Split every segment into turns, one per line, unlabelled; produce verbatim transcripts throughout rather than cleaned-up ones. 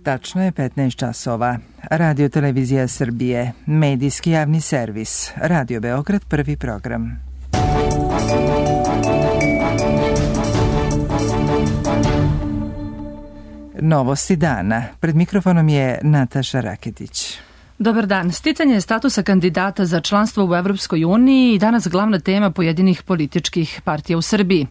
Tačno je petnaest časova. Radio Televizija Srbije, medijski javni servis, Radio Beograd, prvi program. Novosti dana. Pred mikrofonom je Nataša Raketić.
Dobar dan. Sticanje statusa kandidata za članstvo u Evropskoj uniji i danas glavna tema pojedinih političkih partija u Srbiji.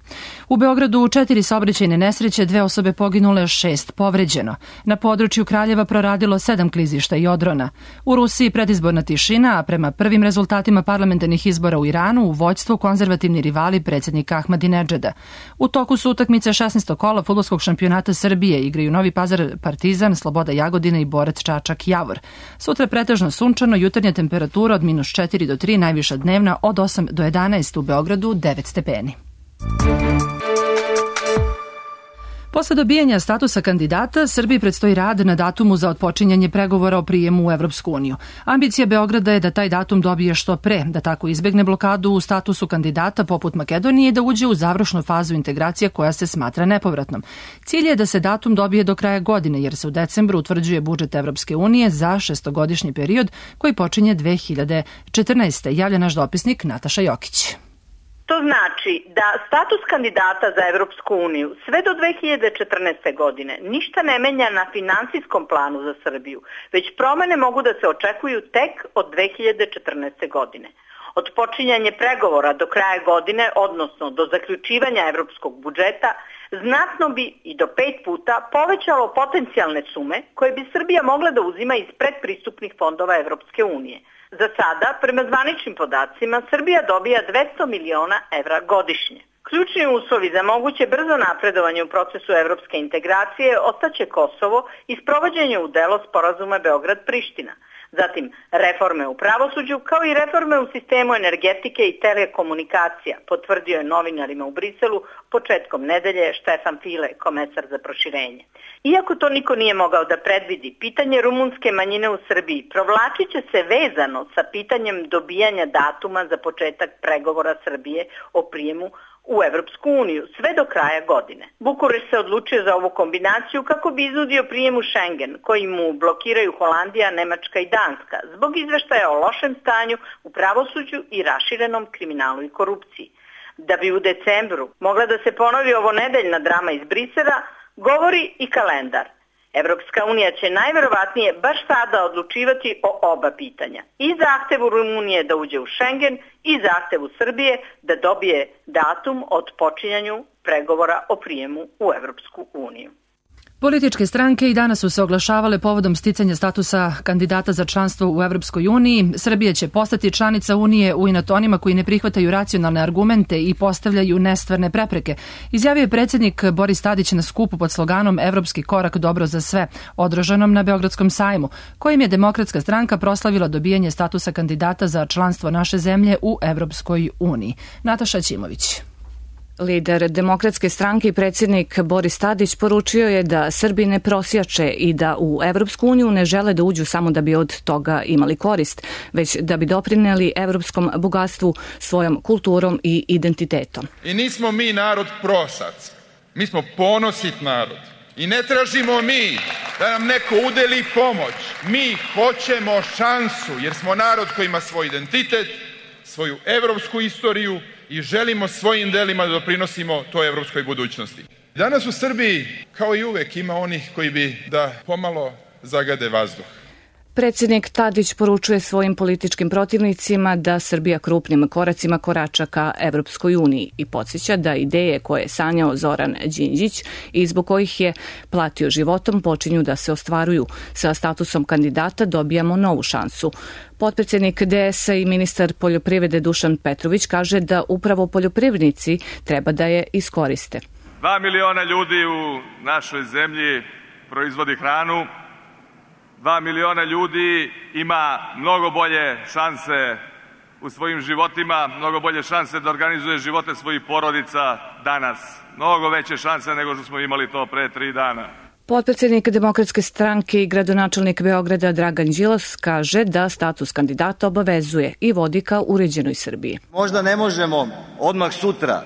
U Beogradu četiri saobraćajne nesreće, dve osobe poginule, šest povređeno. Na području Kraljeva proradilo sedam klizišta i odrona. U Rusiji predizborna tišina, a prema prvim rezultatima parlamentarnih izbora u Iranu u vođstvu konzervativni rivali predsjednika Ahmadinedžada. U toku su utakmice šesnaestog kola fudbalskog šampionata Srbije, igraju Novi Pazar Partizan, Sloboda Jagodina i Borac Čačak Javor. Sutra pretežno sunčano, jutarnja temperatura od minus četiri do tri, najviša dnevna od osam do jedanaest, u Beogradu devet stepeni. Posle dobijanja statusa kandidata, Srbiji predstoji rad na datumu za otpočinjanje pregovora o prijemu u Evropsku uniju. Ambicija Beograda je da taj datum dobije što pre, da tako izbegne blokadu u statusu kandidata poput Makedonije i da uđe u završnu fazu integracije koja se smatra nepovratnom. Cilj je da se datum dobije do kraja godine, jer se u decembru utvrđuje budžet Evropske unije za šestogodišnji period koji počinje dve hiljade četrnaeste. Javlja naš dopisnik Nataša Jokić.
To znači da status kandidata za Evropsku uniju sve do dve hiljade četrnaeste. godine ništa ne menja na finansijskom planu za Srbiju, već promene mogu da se očekuju tek od dve hiljade četrnaeste. godine. Od počinjanja pregovora do kraja godine, odnosno do zaključivanja evropskog budžeta, znatno bi i do pet puta povećalo potencijalne sume koje bi Srbija mogla da uzima iz predpristupnih fondova Evropske unije. Za sada, prema zvaničnim podacima, Srbija dobija dvesta miliona evra godišnje. Ključni uslovi za moguće brzo napredovanje u procesu evropske integracije ostaće Kosovo i sprovođenje u delo sporazuma Beograd-Priština. Zatim reforme u pravosuđu kao i reforme u sistemu energetike i telekomunikacija, potvrdio je novinarima u Briselu početkom nedelje Štefan File, komesar za proširenje. Iako to niko nije mogao da predvidi, pitanje rumunske manjine u Srbiji provlačit će se vezano sa pitanjem dobijanja datuma za početak pregovora Srbije o prijemu u Evropsku uniju sve do kraja godine. Bukurešt se odlučio za ovu kombinaciju kako bi iznudio prijem u Schengen, koji mu blokiraju Holandija, Nemačka i Danska, zbog izveštaja o lošem stanju u pravosuđu i raširenom kriminalu i korupciji. Da bi u decembru mogla da se ponovi ovo nedeljna drama iz Brisela, govori i kalendar. Evropska unija će najverovatnije baš sada odlučivati o oba pitanja. I zahtevu Rumunije da uđe u Schengen i zahtevu Srbije da dobije datum od počinjanju pregovora o prijemu u Evropsku uniju.
Političke stranke i danas su se oglašavale povodom sticanja statusa kandidata za članstvo u Evropskoj uniji. Srbija će postati članica Unije u inat onima koji ne prihvataju racionalne argumente i postavljaju nestvarne prepreke, izjavio je predsjednik Boris Tadić na skupu pod sloganom Evropski korak dobro za sve, održanom na Beogradskom sajmu, kojim je Demokratska stranka proslavila dobijanje statusa kandidata za članstvo naše zemlje u Evropskoj uniji. Nataša Ćimović.
Lider Demokratske stranke i predsjednik Boris Tadić poručio je da Srbi ne prosjače i da u Evropsku uniju ne žele da uđu samo da bi od toga imali korist, već da bi doprineli evropskom bogatstvu svojom kulturom i identitetom.
I nismo mi narod prosac, mi smo ponosit narod. I ne tražimo mi da nam neko udeli pomoć, mi hoćemo šansu jer smo narod koji ima svoj identitet, svoju evropsku istoriju i želimo svojim delima da doprinosimo toj evropskoj budućnosti. Danas u Srbiji, kao i uvek, ima onih koji bi da pomalo zagade vazduh.
Predsjednik Tadić poručuje svojim političkim protivnicima da Srbija krupnim koracima korača ka Evropskoj uniji i podsjeća da ideje koje je sanjao Zoran Đinđić i zbog kojih je platio životom počinju da se ostvaruju. Sa statusom kandidata dobijamo novu šansu. Potpredsjednik D S A i ministar poljoprivrede Dušan Petrović kaže da upravo poljoprivrednici treba da je iskoriste.
Dva miliona ljudi u našoj zemlji proizvodi hranu. Dva miliona ljudi ima mnogo bolje šanse u svojim životima, mnogo bolje šanse da organizuje živote svojih porodica danas. Mnogo veće šanse nego što smo imali to pre tri dana.
Potpredsjednik Demokratske stranke i gradonačelnik Beograda Dragan Đilas kaže da status kandidata obavezuje i vodi ka uređenoj Srbiji.
Možda ne možemo odmah sutra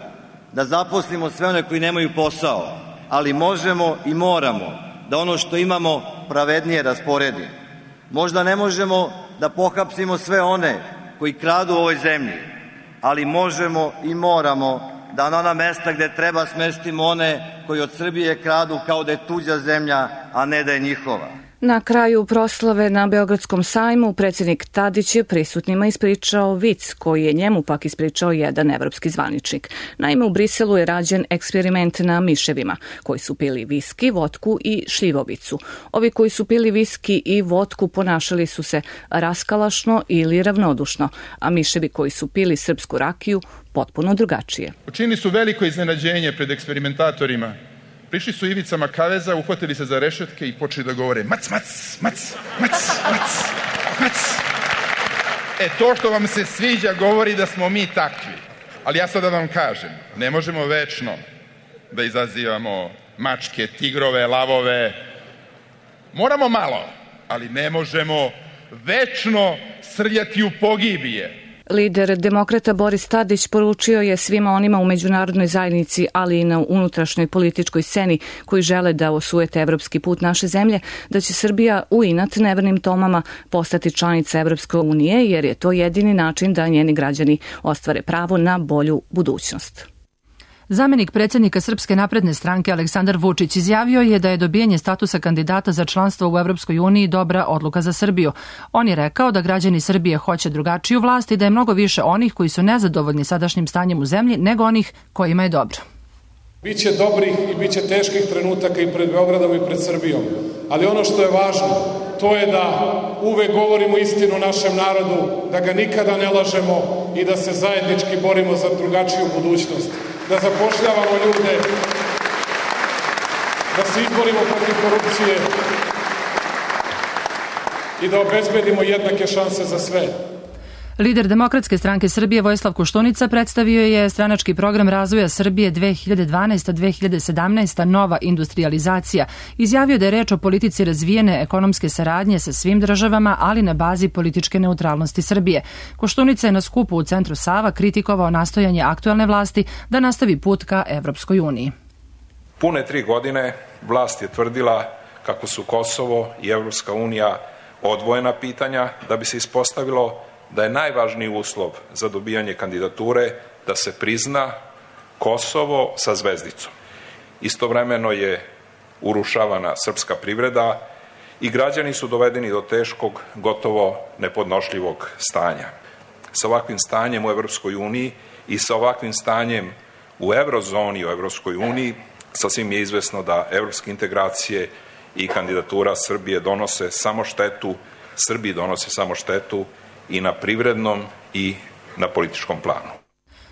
da zaposlimo sve one koji nemaju posao, ali možemo i moramo da ono što imamo pravednije rasporedi. Možda ne možemo da pohapsimo sve one koji kradu u ovoj zemlji, ali možemo i moramo da na ona mesta gde treba smestimo one koji od Srbije kradu kao da je tuđa zemlja, a ne da je njihova.
Na kraju proslave na Beogradskom sajmu predsjednik Tadić je prisutnima ispričao vic koji je njemu pak ispričao jedan evropski zvaničnik. Naime, u Briselu je rađen eksperiment na miševima koji su pili viski, votku i šljivovicu. Ovi koji su pili viski i votku ponašali su se raskalašno ili ravnodušno, a miševi koji su pili srpsku rakiju potpuno drugačije.
Učinili su veliko iznenađenje pred eksperimentatorima. Prišli su ivicama kaveza, uhvatili se za rešetke i počeli da govore mac, mac, mac, mac, mac, mac. E, to što vam se sviđa govori da smo mi takvi. Ali ja sad da vam kažem, ne možemo večno da izazivamo mačke, tigrove, lavove. Moramo malo, ali ne možemo večno srljati u pogibije.
Lider demokrata Boris Tadić poručio je svima onima u međunarodnoj zajednici, ali i na unutrašnjoj političkoj sceni koji žele da osujete evropski put naše zemlje, da će Srbija u inat nevernim tomama postati članica Evropske unije, jer je to jedini način da njeni građani ostvare pravo na bolju budućnost.
Zamenik predsjednika Srpske napredne stranke Aleksandar Vučić izjavio je da je dobijanje statusa kandidata za članstvo u Evropskoj uniji dobra odluka za Srbiju. On je rekao da građani Srbije hoće drugačiju vlast i da je mnogo više onih koji su nezadovoljni sadašnjim stanjem u zemlji nego onih kojima je dobro.
Biće dobrih i biće teških trenutaka i pred Beogradom i pred Srbijom, ali ono što je važno to je da uvek govorimo istinu našem narodu, da ga nikada ne lažemo i da se zajednički borimo za drugačiju budućnost. Da zapošljavamo ljude, da se izborimo protiv korupcije i da obezbedimo jednake šanse za sve.
Lider Demokratske stranke Srbije Vojislav Koštunica predstavio je stranački program razvoja Srbije dve hiljade dvanaesta do dve hiljade sedamnaeste. Nova industrijalizacija. Izjavio da je reč o politici razvijene ekonomske saradnje sa svim državama, ali na bazi političke neutralnosti Srbije. Koštunica je na skupu u centru Sava kritikovao nastojanje aktuelne vlasti da nastavi put ka Evropskoj uniji.
Pune tri godine vlast je tvrdila kako su Kosovo i Evropska unija odvojena pitanja da bi se ispostavilo da je najvažniji uslov za dobijanje kandidature da se prizna Kosovo sa zvezdicom. Istovremeno je urušavana srpska privreda i građani su dovedeni do teškog, gotovo nepodnošljivog stanja. Sa ovakvim stanjem u Evropskoj uniji i sa ovakvim stanjem u eurozoni u Evropskoj uniji sasvim je izvesno da evropske integracije i kandidatura Srbije donose samo štetu, Srbiji donose samo štetu i na privrednom i na političkom planu.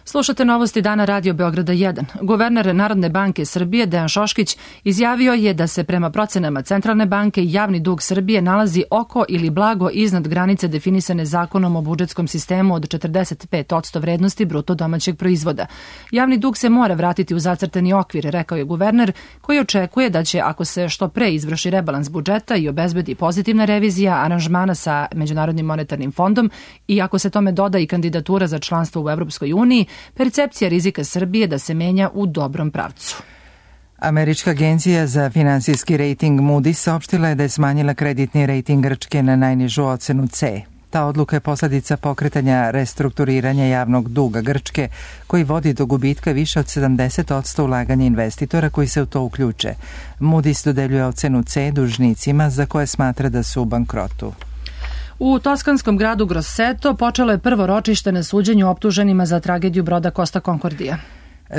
Slušate novosti dana Radio Beograda jedan. Guverner Narodne banke Srbije Dejan Šoškić izjavio je da se prema procenama Centralne banke javni dug Srbije nalazi oko ili blago iznad granice definisane zakonom o budžetskom sistemu od četrdeset pet posto vrednosti bruto domaćeg proizvoda. Javni dug se mora vratiti u zacrtani okvir, rekao je guverner, koji očekuje da će, ako se što pre izvrši rebalans budžeta i obezbedi pozitivna revizija aranžmana sa Međunarodnim monetarnim fondom i ako se tome doda i kandidatura za članstvo u Evropskoj uniji, percepcija rizika Srbije da se menja u dobrom pravcu.
Američka agencija za finansijski rejting Moody's saopštila je da je smanjila kreditni rejting Grčke na najnižu ocenu C. Ta odluka je posledica pokretanja restrukturiranja javnog duga Grčke, koji vodi do gubitka više od sedamdeset posto ulaganja investitora koji se u to uključe. Moody's dodeljuje ocenu C dužnicima za koje smatra da su u bankrotu.
U toskanskom gradu Grosseto počelo je prvo ročište na suđenju optuženima za tragediju broda Costa Concordia.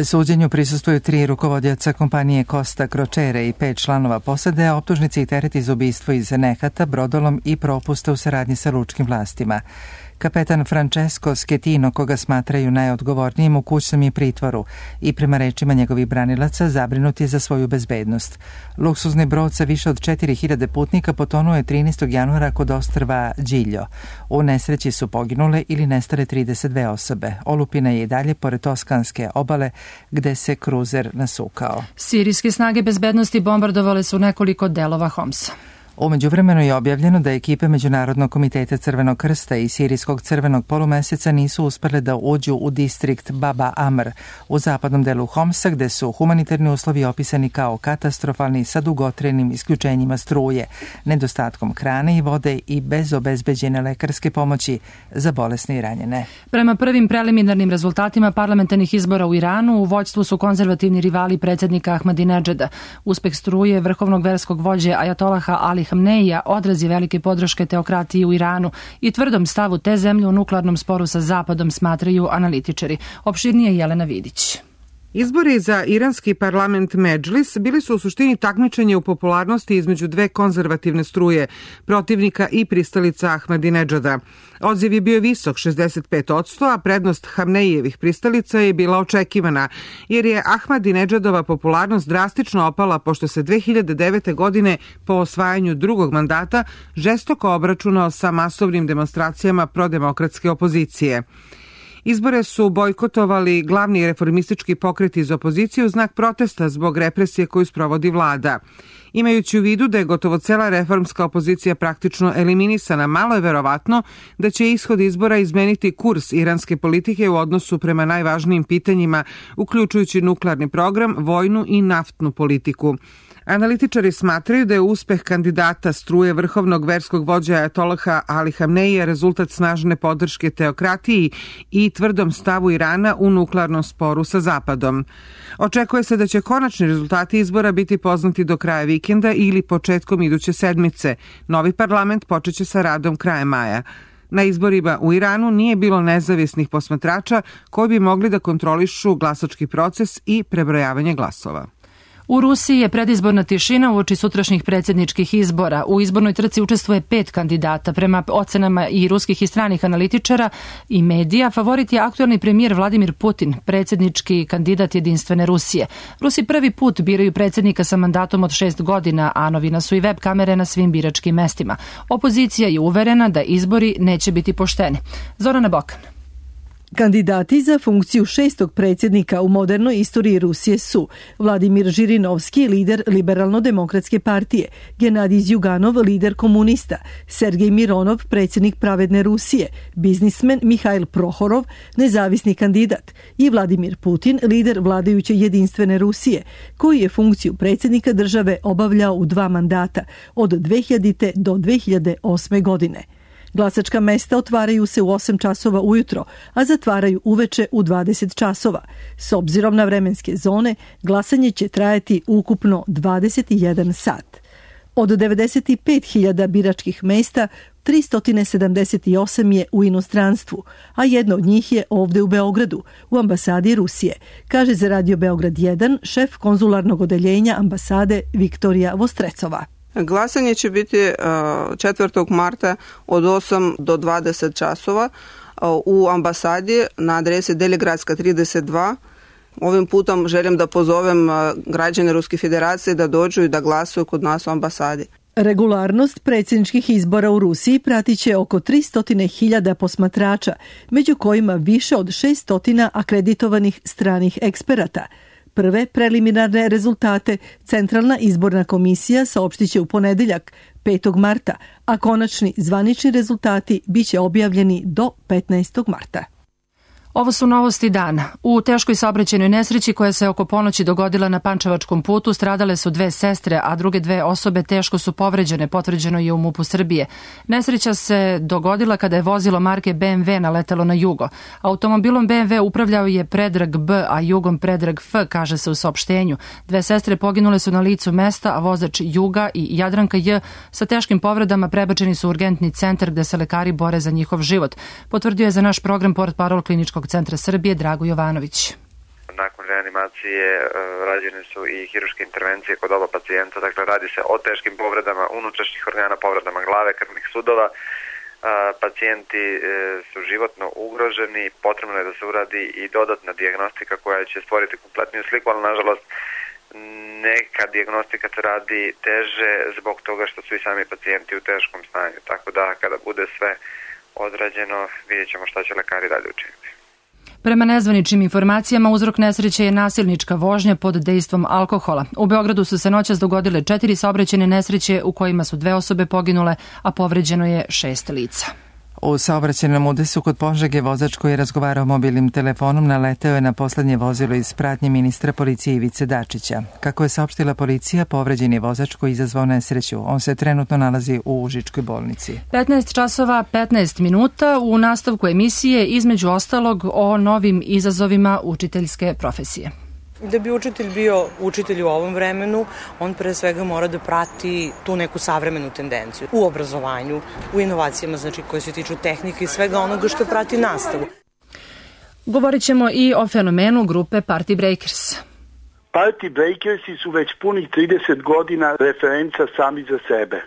Suđenju prisustvuju tri rukovodioca kompanije Costa Crociere i pet članova posade, a optužnici i tereti za ubistvo iz nehata, brodolom i propusta u saradnji sa lučkim vlastima. Kapetan Francesco Schettino, koga smatraju najodgovornijim, u kućnom je pritvoru i prema rečima njegovih branilaca zabrinut je za svoju bezbednost. Luksuzni brod sa više od četiri hiljade putnika potonuo je trinaestog januara kod ostrva Giglio. U nesreći su poginule ili nestale trideset dve osobe. Olupina je i dalje pored toskanske obale gde se kruzer nasukao.
Sirijske snage bezbednosti bombardovale su nekoliko delova Homsa.
U međuvremenu je objavljeno da ekipe Međunarodnog komiteta Crvenog krsta i Sirijskog crvenog polumeseca nisu uspele da uđu u distrikt Baba Amr u zapadnom delu Homsa, gde su humanitarni uslovi opisani kao katastrofalni sa dugotrajnim isključenjima struje, nedostatkom hrane i vode i bez obezbeđene lekarske pomoći za bolesne i ranjene.
Prema prvim preliminarnim rezultatima parlamentarnih izbora u Iranu, u vođstvu su konzervativni rivali predsjednika Ahmadinedžada. Uspeh struje vrhovnog verskog vođe Ajatolaha Ali Hamneija odraz je velike podrške teokratiji u Iranu i tvrdom stavu te zemlje u nuklearnom sporu sa Zapadom, smatraju analitičari. Opširnije Jelena Vidić.
Izbori za iranski parlament Medžlis bili su u suštini takmičenje u popularnosti između dve konzervativne struje, protivnika i pristalica Ahmadinedžada. Odziv je bio visok, šezdeset pet posto, a prednost Hamneijevih pristalica je bila očekivana, jer je Ahmadinedžadova popularnost drastično opala pošto se dve hiljade devete. godine po osvajanju drugog mandata žestoko obračunao sa masovnim demonstracijama prodemokratske opozicije. Izbore su bojkotovali glavni reformistički pokret iz opozicije u znak protesta zbog represije koju sprovodi vlada. Imajući u vidu da je gotovo cela reformska opozicija praktično eliminisana, malo je verovatno da će ishod izbora izmeniti kurs iranske politike u odnosu prema najvažnijim pitanjima, uključujući nuklearni program, vojnu i naftnu politiku. Analitičari smatraju da je uspeh kandidata struje vrhovnog verskog vođa Ajatolaha Ali Hamneija rezultat snažne podrške teokratiji i tvrdom stavu Irana u nuklearnom sporu sa Zapadom. Očekuje se da će konačni rezultati izbora biti poznati do kraja vikenda ili početkom iduće sedmice. Novi parlament počeće sa radom krajem maja. Na izborima u Iranu nije bilo nezavisnih posmatrača koji bi mogli da kontrolišu glasački proces i prebrojavanje glasova.
U Rusiji je predizborna tišina uoči sutrašnjih predsjedničkih izbora. U izbornoj trci učestvuje pet kandidata. Prema ocenama i ruskih i stranih analitičara i medija, favorit je aktuelni premijer Vladimir Putin, predsjednički kandidat Jedinstvene Rusije. Rusi prvi put biraju predsjednika sa mandatom od šest godina, a novina su i web kamere na svim biračkim mestima. Opozicija je uverena da izbori neće biti pošteni. Zorana Bokan.
Kandidati za funkciju šestog predsjednika u modernoj istoriji Rusije su Vladimir Žirinovski, lider Liberalno-demokratske partije, Genadij Zjuganov, lider komunista, Sergej Mironov, predsjednik Pravedne Rusije, biznismen Mihail Prohorov, nezavisni kandidat i Vladimir Putin, lider vladajuće Jedinstvene Rusije, koji je funkciju predsjednika države obavljao u dva mandata od dve hiljadite. do dve hiljade osme. godine. Glasačka mesta otvaraju se u osam časova ujutro, a zatvaraju uveče u dvadeset časova. S obzirom na vremenske zone, glasanje će trajati ukupno dvadeset jedan sat. Od devedeset pet hiljada biračkih mesta, tristo sedamdeset osam je u inostranstvu, a jedno od njih je ovde u Beogradu, u ambasadi Rusije, kaže za Radio Beograd jedan šef konzularnog odeljenja ambasade Viktorija Vostrecova.
Glasanje će biti četvrtog marta od osam do dvadeset časova u ambasadi na adresi Deligradska trideset dva. Ovim putom želim da pozovem građane Ruske federacije da dođu i da glasuju kod nas u ambasadi.
Regularnost predsjedničkih izbora u Rusiji pratit će oko tristo hiljada posmatrača, među kojima više od šesto akreditovanih stranih eksperata. Prve preliminarne rezultate Centralna izborna komisija saopštit će u ponedeljak, petog marta, a konačni zvanični rezultati biće objavljeni do petnaestog marta.
Ovo su novosti dana. U teškoj saobraćajnoj nesreći koja se oko ponoći dogodila na Pančevačkom putu stradale su dve sestre, a druge dve osobe teško su povređene, potvrđeno je u MUP-u Srbije. Nesreća se dogodila kada je vozilo marke B M W naletelo na jugo. Automobilom B M W upravljao je Predrag B, a jugom Predrag F, kaže se u saopštenju. Dve sestre poginule su na licu mesta, a vozač Juga i Jadranka J sa teškim povredama prebačeni su u urgentni centar gde se lekari bore za njihov život. Potvrdio je za naš program portparol Kliničkog centra Srbije Drago Jovanović.
Nakon reanimacije rađene su i hiruške intervencije kod oba pacijenta, dakle radi se o teškim povredama unutrašnjih organa, povredama glave, krvnih sudova. Pacijenti su životno ugroženi, potrebno je da se uradi i dodatna dijagnostika koja će stvoriti kompletniju sliku, ali nažalost neka dijagnostika se radi teže zbog toga što su i sami pacijenti u teškom stanju, tako da kada bude sve odrađeno vidjet ćemo šta će lekari dalje učiniti.
Prema nezvaničnim informacijama, uzrok nesreće je nasilnička vožnja pod dejstvom alkohola. U Beogradu su se noćas dogodile četiri saobraćajne nesreće u kojima su dve osobe poginule, a povređeno je šest lica.
U saobraćajnom udesu kod Požege vozač koji je razgovarao mobilnim telefonom naleteo je na poslednje vozilo iz pratnje ministra policije Ivice Dačića. Kako je saopštila policija, povređen je vozač koji izazvao nesreću. On se trenutno nalazi u Užičkoj bolnici.
petnaest časova petnaest minuta u nastavku emisije, između ostalog o novim izazovima učiteljske profesije.
Da bi učitelj bio učitelj u ovom vremenu, on pre svega mora da prati tu neku savremenu tendenciju u obrazovanju, u inovacijama, znači koje se tiču tehnike i svega onoga što prati nastavu.
Govorit ćemo i o fenomenu grupe Party Breakers.
Party Breakersi su već punih trideset godina referenca sami za sebe.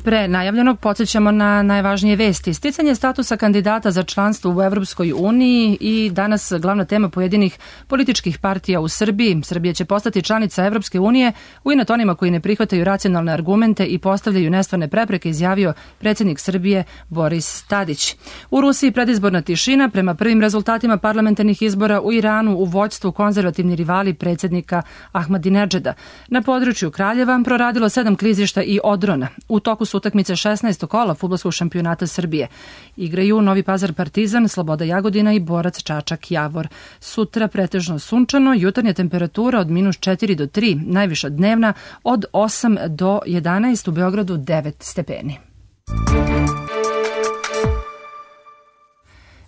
Pre najavljenog podsjećamo na najvažnije vesti. Sticanje statusa kandidata za članstvo u Evropskoj uniji i danas glavna tema pojedinih političkih partija u Srbiji. Srbija će postati članica Evropske unije u inat onima koji ne prihvataju racionalne argumente i postavljaju nestvarne prepreke, izjavio predsjednik Srbije Boris Tadić. U Rusiji predizborna tišina. Prema prvim rezultatima parlamentarnih izbora u Iranu u vođstvu konzervativni rivali predsjednika Ahmadinedžada. Na području Kraljeva proradilo sedam klizišta i odrona. U toku su utakmice šesnaestog kola fudbalskog šampionata Srbije. Igraju Novi Pazar Partizan, Sloboda Jagodina i Borac Čačak Javor. Sutra pretežno sunčano, jutarnja temperatura od minus četiri do tri, najviša dnevna od osam do jedanaest, u Beogradu devet stepeni.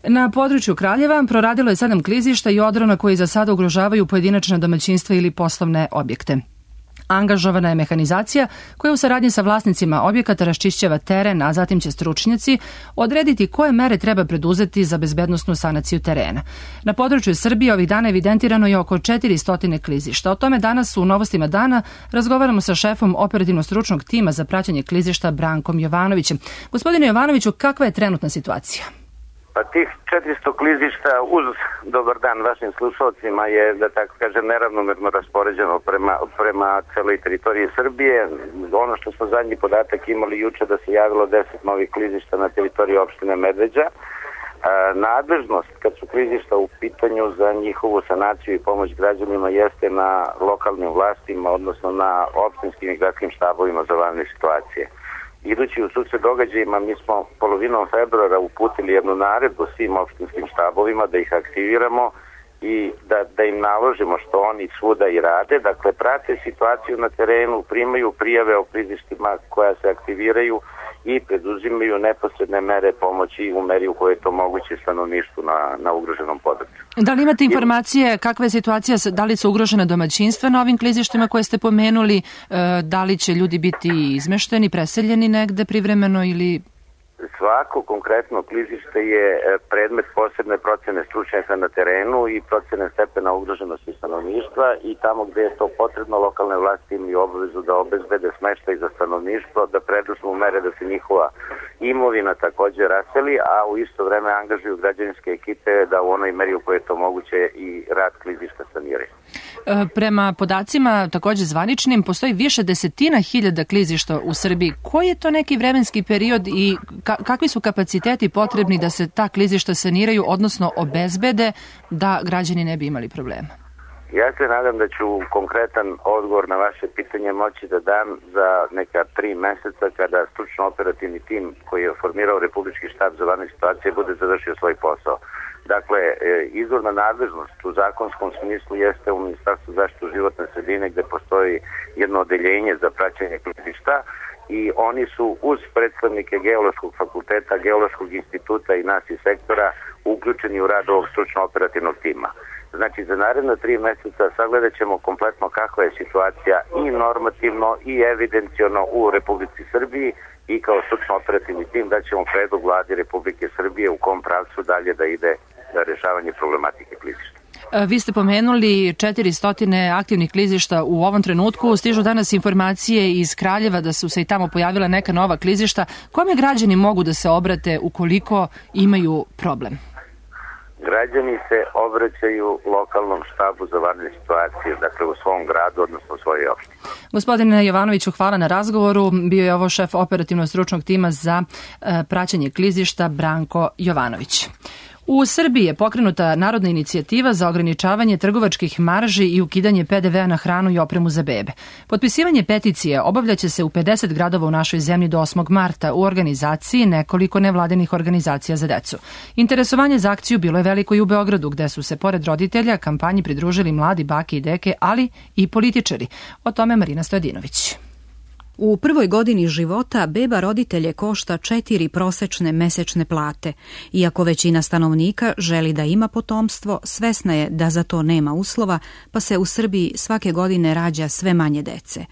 Na području Kraljeva proradilo je sedam klizišta i odrona koji za sada ugrožavaju pojedinačna domaćinstva ili poslovne objekte. Angažovana je mehanizacija koja u saradnji sa vlasnicima objekata raščišćava teren, a zatim će stručnjaci odrediti koje mere treba preduzeti za bezbednosnu sanaciju terena. Na području Srbije ovih dana evidentirano je oko četiristo klizišta. O tome danas u Novostima dana razgovaramo sa šefom operativno-stručnog tima za praćenje klizišta Brankom Jovanovićem. Gospodine Jovanoviću, kakva je trenutna situacija?
Pa tih četiristo klizišta, uz dobar dan vašim slušalcima, je, da tako kažem, neravnomerno raspoređeno prema, prema celoj teritoriji Srbije. Ono što smo zadnji podatak imali juče da se javilo deset novih klizišta na teritoriji opštine Medveđa. E, nadležnost kad su klizišta u pitanju za njihovu sanaciju i pomoć građanima jeste na lokalnim vlastima, odnosno na opštinskim i gradskim štabovima za vanredne situacije. Idući u susret događajima, mi smo polovinom februara uputili jednu naredbu svim opštinskim štabovima da ih aktiviramo i da, da im naložimo što oni svuda i rade. Dakle, prate situaciju na terenu, primaju prijave o klizištima koja se aktiviraju i preduzimaju neposredne mere pomoći u meri u kojoj je to moguće stanovništvu na, na ugroženom području.
Da li imate informacije kakva je situacija, da li su ugrožena domaćinstva na ovim klizištima koje ste pomenuli, da li će ljudi biti izmešteni, preseljeni negde privremeno ili...
Svako konkretno klizište je predmet posebne procene stručnjaka na terenu i procene stepena ugroženosti stanovništva i tamo gde je to potrebno, lokalne vlasti imaju obavezu da obezbede smeštaj za stanovništvo, da preduzmu mere da se njihova imovina takođe raseli, a u isto vreme angažuju građevinske ekipe da u onoj meri u kojoj je to moguće i rad klizišta saniraju.
Prema podacima takođe zvaničnim, postoji više desetina hiljada klizišta u Srbiji. Koji je to neki vremenski period i ka kakvi su kapaciteti potrebni da se ta klizišta saniraju, odnosno obezbede da građani ne bi imali problema?
Ja se nadam da ću konkretan odgovor na vaše pitanje moći da dam za neka tri meseca kada stručno operativni tim koji je formirao Republički štab za vanredne situacije bude završio svoj posao. Dakle, izvorna nadležnost u zakonskom smislu jeste u Ministarstvu zaštite životne sredine gde postoji jedno odeljenje za praćenje klizišta i oni su uz predstavnike Geološkog fakulteta, Geološkog instituta i nas iz sektora uključeni u rad ovog stručno operativnog tima. Znači, za naredna tri meseca sagledat ćemo kompletno kakva je situacija i normativno i evidenciono u Republici Srbiji i kao stručno operativni tim da ćemo predlog vladi Republike Srbije u kom pravcu dalje da ide za rešavanje problematike klizišta.
Vi ste pomenuli četiristo aktivnih klizišta u ovom trenutku. Stižu danas informacije iz Kraljeva da su se i tamo pojavila neka nova klizišta. Kome građani mogu da se obrate ukoliko imaju problem?
Građani se obraćaju lokalnom štabu za vanredne situacije, dakle u svom gradu, odnosno u svojoj opštini.
Gospodine Jovanoviću, hvala na razgovoru. Bio je ovo šef operativno-stručnog tima za praćenje klizišta Branko Jovanović. U Srbiji je pokrenuta narodna inicijativa za ograničavanje trgovačkih marži i ukidanje pe de vea na hranu i opremu za bebe. Potpisivanje peticije obavljaće se u pedeset gradova u našoj zemlji do osmog marta u organizaciji nekoliko nevladinih organizacija za decu. Interesovanje za akciju bilo je veliko i u Beogradu, gde su se pored roditelja kampanji pridružili mladi bake i deke, ali i političari. O tome Marina Stojadinović.
U prvoj godini života beba roditelje košta četiri prosečne mesečne plate. Iako većina stanovnika želi da ima potomstvo, svesna je da za to nema uslova, pa se u Srbiji svake godine rađa sve manje dece.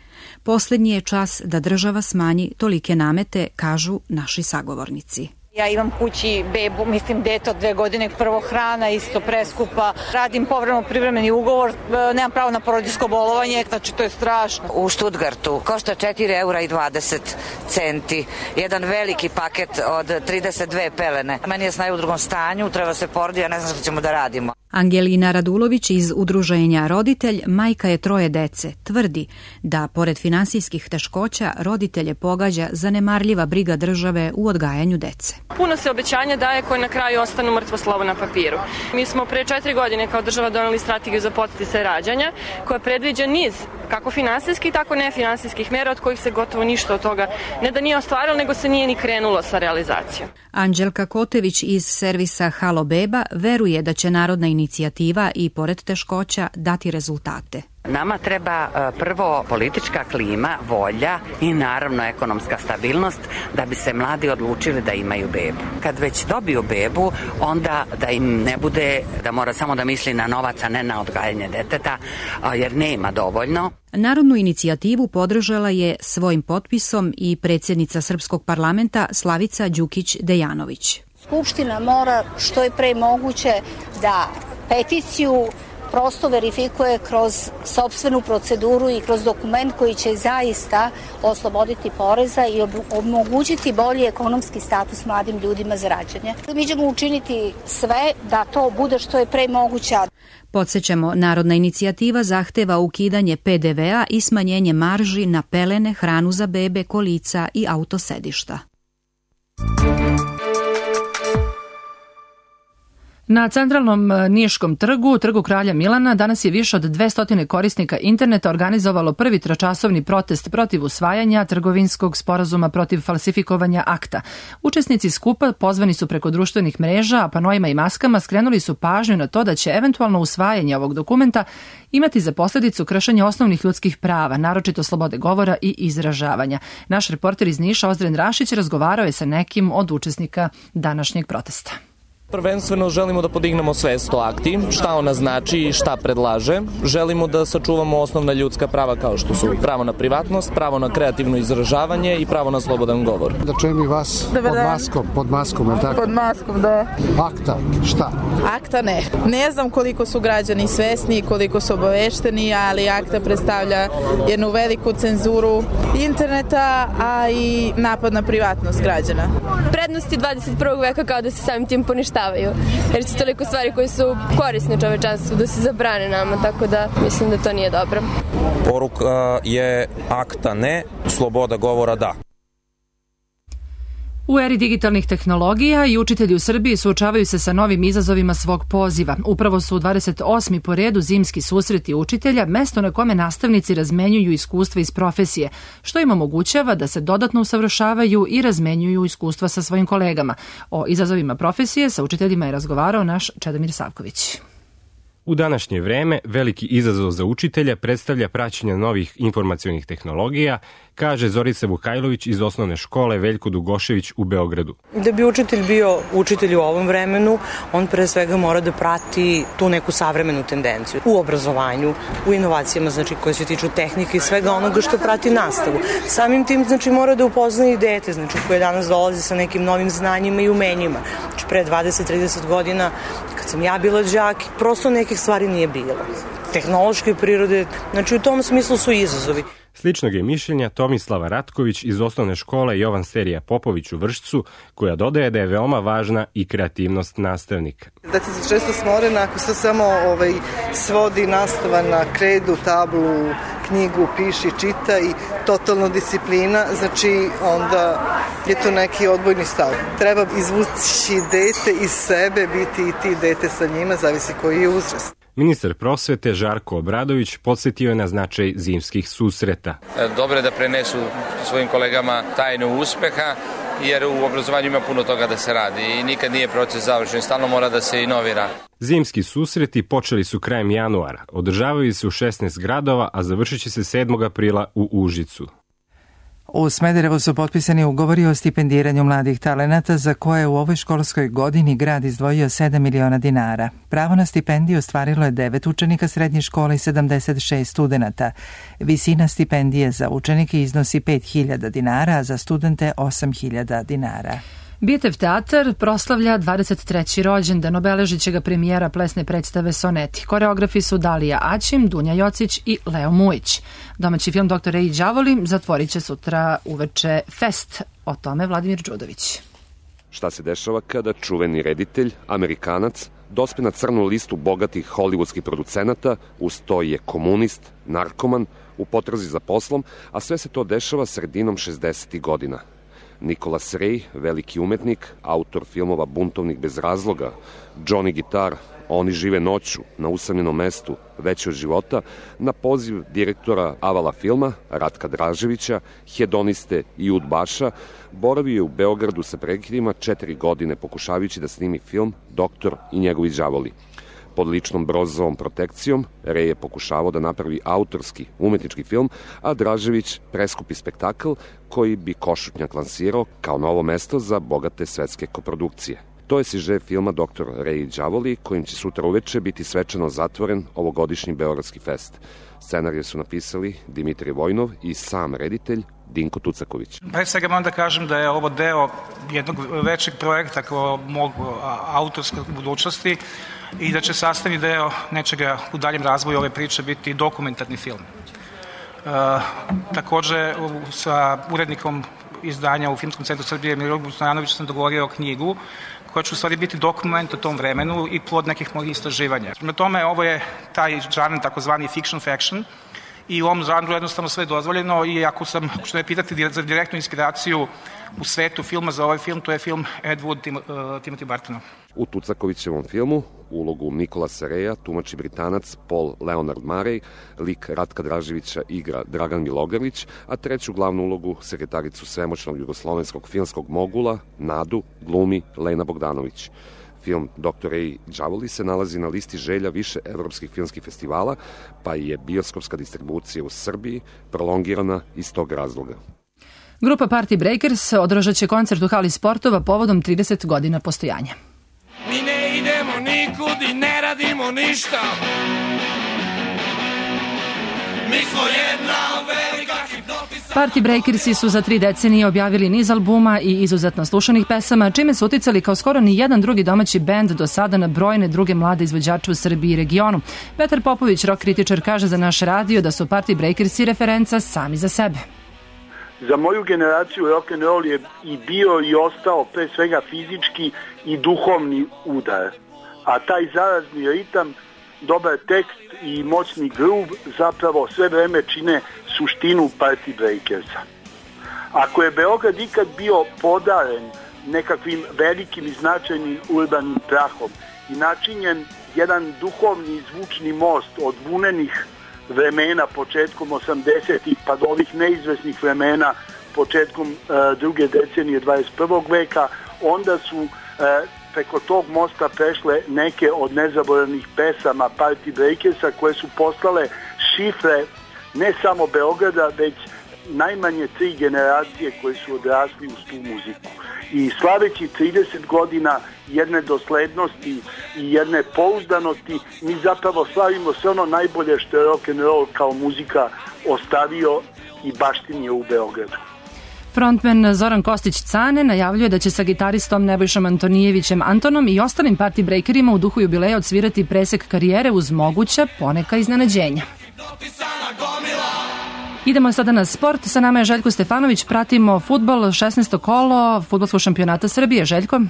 Posljednji je čas da država smanji tolike namete, kažu naši sagovornici.
Ja imam kući bebu, mislim dete od dve godine, prvo hrana isto preskupa, radim povremeno privremeni ugovor, nemam pravo na porodiljsko bolovanje, znači to je strašno.
U Stuttgartu košta četiri eura i dvadeset centi, jedan veliki paket od trideset dve pelene. Meni je snaj u drugom stanju, treba se porodi, ja ne znam što ćemo da radimo.
Angelina Radulović iz udruženja Roditelj, majka je troje dece, tvrdi da pored finansijskih teškoća roditelje pogađa zanemarljiva briga države u odgajanju dece.
Puno se obećanja daje koje na kraju ostanu mrtvo slovo na papiru. Mi smo pre četiri godine kao država doneli strategiju za podsticaj rađanja koja predviđa niz kako finansijskih, tako nefinansijskih mera od kojih se gotovo ništa od toga ne da nije ostvarilo, nego se nije ni krenulo sa realizacijom.
Anđelka Kotević iz servisa Halo Beba veruje da će narodna inicijativa i pored teškoća dati rezultate.
Nama treba prvo politička klima, volja i naravno ekonomska stabilnost da bi se mladi odlučili da imaju bebu. Kad već dobiju bebu, onda da im ne bude da mora samo da misli na novac, a ne na odgajanje deteta, jer nema dovoljno.
Narodnu inicijativu podržala je svojim potpisom i predsjednica Srpskog parlamenta Slavica Đukić-Dejanović.
Skupština mora što je pre moguće da peticiju prosto verifikuje kroz sopstvenu proceduru i kroz dokument koji će zaista osloboditi poreza i omogućiti bolji ekonomski status mladim ljudima za rađanje. Mi ćemo učiniti sve da to bude što je pre moguće.
Podsećamo, narodna inicijativa zahteva ukidanje pe de vea i smanjenje marži na pelene, hranu za bebe, kolica i autosedišta.
Na centralnom Niškom trgu, trgu Kralja Milana, danas je više od dvesta korisnika interneta organizovalo prvi tročasovni protest protiv usvajanja trgovinskog sporazuma protiv falsifikovanja akta. Učesnici skupa pozvani su preko društvenih mreža, a panoima i maskama skrenuli su pažnju na to da će eventualno usvajanje ovog dokumenta imati za posljedicu kršenje osnovnih ljudskih prava, naročito slobode govora i izražavanja. Naš reporter iz Niša, Ozren Rašić, razgovarao je sa nekim od učesnika današnjeg protesta.
Prvenstveno želimo da podignemo svest o akti, šta ona znači i šta predlaže. Želimo da sačuvamo osnovna ljudska prava kao što su pravo na privatnost, pravo na kreativno izražavanje i pravo na slobodan govor.
Da čujem i vas pod maskom, pod maskom, je tako?
Pod maskom, da.
Akta, šta?
Akta ne. Ne znam koliko su građani svesni, koliko su obavešteni, ali akta predstavlja jednu veliku cenzuru interneta, a i napad na privatnost građana.
Prednosti dvadeset prvog veka kao da se samim tim poništavaju. Jer su toliko stvari koje su korisne čovečanstvu da se zabrane nama, tako da mislim da to nije dobro.
Poruka je akta ne, sloboda govora da.
U eri digitalnih tehnologija i učitelji u Srbiji suočavaju se sa novim izazovima svog poziva. Upravo su u dvadeset osmi po redu zimski susreti učitelja, mesto na kome nastavnici razmenjuju iskustva iz profesije, što im omogućava da se dodatno usavršavaju i razmenjuju iskustva sa svojim kolegama. O izazovima profesije sa učiteljima je razgovarao naš Čedomir Savković.
U današnje vreme veliki izazov za učitelja predstavlja praćenje novih informacionih tehnologija, kaže Zorica Vukajlović iz osnovne škole Veljko Dugošević u Beogradu.
Da bi učitelj bio učitelj u ovom vremenu, on pre svega mora da prati tu neku savremenu tendenciju u obrazovanju, u inovacijama, znači koje se tiču tehnike i svega onoga što prati nastavu. Samim tim, znači, mora da upoznaje i dete, znači koje danas dolazi sa nekim novim znanjima i umenjima. Znači pre dvadeset trideset godina, kad sam ja bila đak, prosto nekih stvari nije bilo. Tehnološke prirode, znači u tom smislu su izazovi.
Sličnog je mišljenja Tomislava Ratković iz osnovne škole Jovan Serija Popović u Vršcu, koja dodaje da je veoma važna i kreativnost nastavnika.
Da se često smorena ako se samo ovaj, svodi nastava na kredu, tablu,
knjigu, piši, čita i totalno disciplina, znači onda je to neki odbojni stav. Treba izvući dete iz sebe, biti i ti dete sa njima, zavisi koji je uzrast.
Ministar prosvete Žarko Obradović podsjetio je na značaj zimskih susreta.
Dobro je da prenesu svojim kolegama tajnu uspeha, jer u obrazovanju ima puno toga da se radi i nikad nije proces završen, stalno mora da se inovira.
Zimski susreti počeli su krajem januara, održavaju se u šesnaest gradova, a završit će se sedmog aprila u Užicu.
U Smederevu su potpisani ugovori o stipendiranju mladih talenata za koje u ovoj školskoj godini grad izdvojio sedam miliona dinara. Pravo na stipendiju ostvarilo je devet učenika srednje škole i sedamdeset šest studenata. Visina stipendije za učenike iznosi pet hiljada dinara, a za studente osam hiljada dinara.
Bitev teatar proslavlja dvadeset treći rođendan, obeležit će ga premijera plesne predstave Soneti. Koreografi su Dalija Aćim, Dunja Jocić i Leo Mujić. Domaći film doktor Ray Đavoli zatvorit će sutra uveče fest. O tome Vladimir Đudović.
Šta se dešava kada čuveni reditelj, Amerikanac, dospe na crnu listu bogatih hollywoodskih producenata, uz to je komunist, narkoman, u potrazi za poslom, a sve se to dešava sredinom šezdesetih godina. Nicholas Ray, veliki umetnik, autor filmova Buntovnik bez razloga, Johnny Guitar, Oni žive noću, Na usamljenom mestu, Veće od života, na poziv direktora Avala filma, Ratka Draževića, hedoniste i udbaša, boravio je u Beogradu sa prekidima četiri godine pokušavajući da snimi film Doktor i njegovi đavoli. Pod ličnom Brozovom protekcijom, Ray je pokušavao da napravi autorski, umetnički film, a Dražević preskupi spektakl koji bi Košutnjak lansirao kao novo mesto za bogate svetske koprodukcije. To je siže filma Doktor Ray i đavoli, kojim će sutra uveče biti svečano zatvoren ovogodišnji Beogradski fest. Scenarije su napisali Dimitrij Vojnov i sam reditelj Dinko Tucaković.
Pre svega moram da kažem da je ovo deo jednog većeg projekta kao mog autorske budućnosti i da će sastavni deo nečega u daljem razvoju ove priče biti dokumentarni film. E, takođe, sa urednikom izdanja u Filmskom centru Srbije Miroljubom Stojanovićem sam dogovorio knjigu koja će u stvari biti dokument o tom vremenu i plod nekih mojih istraživanja. Na tome, ovo je taj žanr, takozvani fiction faction, i u ovom žanru jednostavno sve dozvoljeno i ako sam, što me pitati za direktnu inspiraciju u svetu filma za ovaj film, to je film Ed Wood Tim, uh, Timothy Bartona.
U Tucakovićevom filmu ulogu Nikolasa Reja tumači Britanac Paul Leonard Murray, lik Ratka Draževića igra Dragan Milogrlić, a treću glavnu ulogu, sekretaricu svemoćnog jugoslovenskog filmskog mogula, Nadu, glumi Lena Bogdanović. Film doktor Ray đavoli se nalazi na listi želja više evropskih filmskih festivala, pa je bioskopska distribucija u Srbiji prolongirana iz tog razloga.
Grupa Party Breakers održat će koncert u hali sportova povodom trideset godina postojanja.
Mi ne idemo nikud i ne radimo ništa. Mi smo jedna velika hipnotisa.
Party Breakersi su za tri decenije objavili niz albuma i izuzetno slušanih pesama, čime su uticali kao skoro ni jedan drugi domaći bend do sada na brojne druge mlade izvođače u Srbiji i regionu. Petar Popović, rock kritičar, kaže za naš radio da su Party Breakersi referenca sami za sebe.
Za moju generaciju rock and roll je i bio i ostao pre svega fizički i duhovni udar. A taj zarazni ritam, dobar tekst i moćni groove zapravo sve vreme čine suštinu Party Breakersa. Ako je Beograd ikad bio podaren nekakvim velikim i značajnim urbanim prahom i načinjen jedan duhovni i zvučni most od vunenih vremena početkom osamdesetih pa do ovih neizvesnih vremena početkom e, druge decenije dvadeset prvog veka, onda su e, preko tog mosta prešle neke od nezaboravnih pesama Party Breakersa koje su postale šifre ne samo Beograda, već najmanje tri generacije koje su odrasli uz tu muziku. I slaveći trideset godina jedne doslednosti i jedne pouzdanosti, mi zapravo slavimo sve ono najbolje što je rock and roll kao muzika ostavio i baštinio u Beogradu.
Frontman Zoran Kostić-Cane najavljuje da će sa gitaristom Nebojšom Antonijevićem Antonom i ostalim Party Breakerima u duhu jubileja odsvirati presek karijere uz moguća poneka iznenađenja. Idemo sada na sport. Sa nama je Željko Stefanović. Pratimo fudbal, šesnaesto kolo fudbalskog šampionata Srbije. Željko?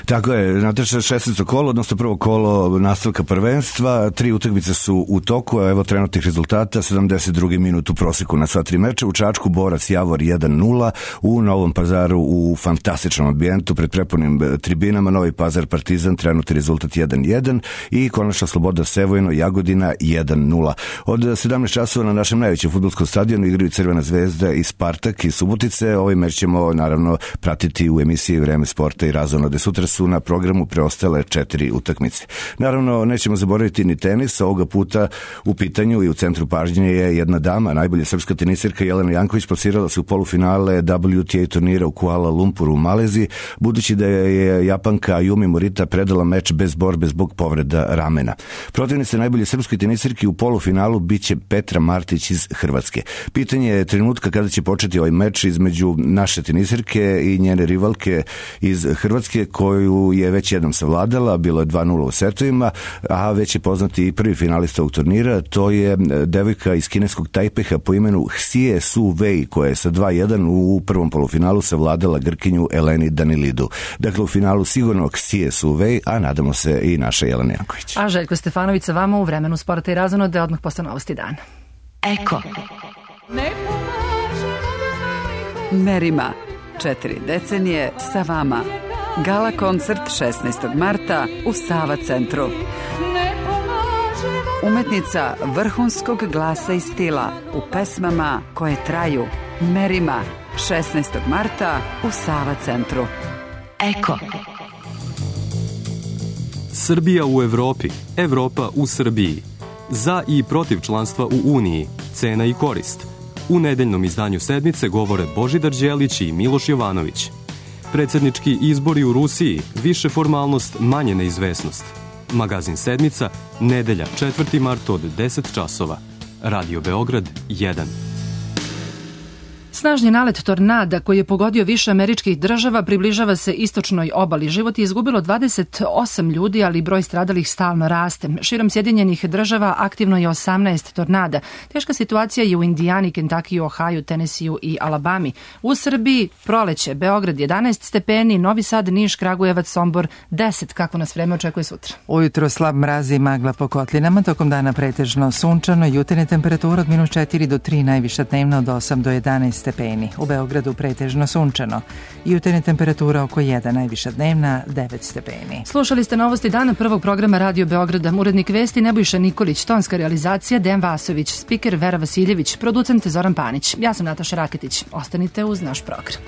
Tako je, Nataša, šesnaesto kolo, odnosno prvo kolo nastavka prvenstva. Tri utakmice su u toku, a evo trenutnih rezultata. sedamdeset drugi minut u proseku na sva tri meča. U Čačku Borac Javor jedan nula, u Novom Pazaru u fantastičnom ambijentu pred prepunim tribinama Novi Pazar Partizan, trenutni rezultat jedan jedan i konačno Sloboda Sevojno Jagodina jedan nula. Od sedamnaest časova na našem najvećem fudbalskom stadionu igraju Crvena zvezda i Spartak iz Subotice. Ovaj meč ćemo naravno pratiti u emisiji Vreme sporta i razonode. Sutra su na programu preostale četiri utakmice. Naravno, nećemo zaboraviti ni tenis. Ovoga puta u pitanju i u centru pažnje je jedna dama, najbolja srpska tenisirka Jelena Janković, plasirala se u polufinale W T A turnira u Kuala Lumpuru u Maleziji, budući da je Japanka Ayumi Morita predala meč bez borbe zbog povreda ramena. Protivnica najbolje srpske tenisirke u polufinalu biće Petra Martić iz Hrvatske. Pitanje je trenutka kada će početi ovaj meč između naše tenisirke i njene rivalke iz Hrvatske, koju je već jednom savladala, bilo je dva nula u setovima, a već je poznati i prvi finalista ovog turnira, to je devojka iz kineskog Tajpeha po imenu Hsie Su Wei, koja je sa dva jedan u prvom polufinalu savladala Grkinju Eleni Danilidu. Dakle, u finalu sigurno Hsie Su Wei, a nadamo se i naša Jelena Janković.
A Željko Stefanović sa vama u Vremenu sporta i razonode odmah posle novosti dana.
Eko. Merima. Četiri decenije sa vama. Gala koncert šesnaestog marta u Sava centru. Umetnica vrhunskog glasa i stila u pesmama koje traju. Merima. šesnaestog marta u Sava centru. Eko.
Srbija u Evropi. Evropa u Srbiji. Za i protiv članstva u Uniji. Cena i korist. U nedeljnom izdanju sedmice govore Božidar Đelić i Miloš Jovanović. Predsjednički izbori u Rusiji, više formalnost, manje neizvesnost. Magazin sedmica, nedelja četvrti mart od deset časova. Radio Beograd jedan.
Snažni nalet tornada koji je pogodio više američkih država približava se istočnoj obali. Život je izgubilo dvadeset osam ljudi, ali broj stradalih stalno raste. Širom Sjedinjenih država aktivno je osamnaest tornada. Teška situacija je u Indijani, Kentakiju, Ohaju, Tenesiju i Alabami. U Srbiji proleće, Beograd jedanaest stepeni, Novi Sad, Niš, Kragujevac, Sombor deset. Kako nas vreme očekuje sutra?
Ujutro slab mraz i magla po kotlinama, tokom dana pretežno sunčano, jutarnje temperatura od minus četiri do tri, najviša dnevna od osam do jedanaest stepeni. U Beogradu pretežno sunčano. Jutarnja temperatura oko jedan, najviša dnevna devet stepeni.
Slušali ste novosti dana prvog programa Radio Beograda. Urednik vesti Nebojša Nikolić, tonska realizacija Dejan Vasović, spiker Vera Vasiljević, producent Zoran Panić. Ja sam Nataša Raketić. Ostanite uz naš program.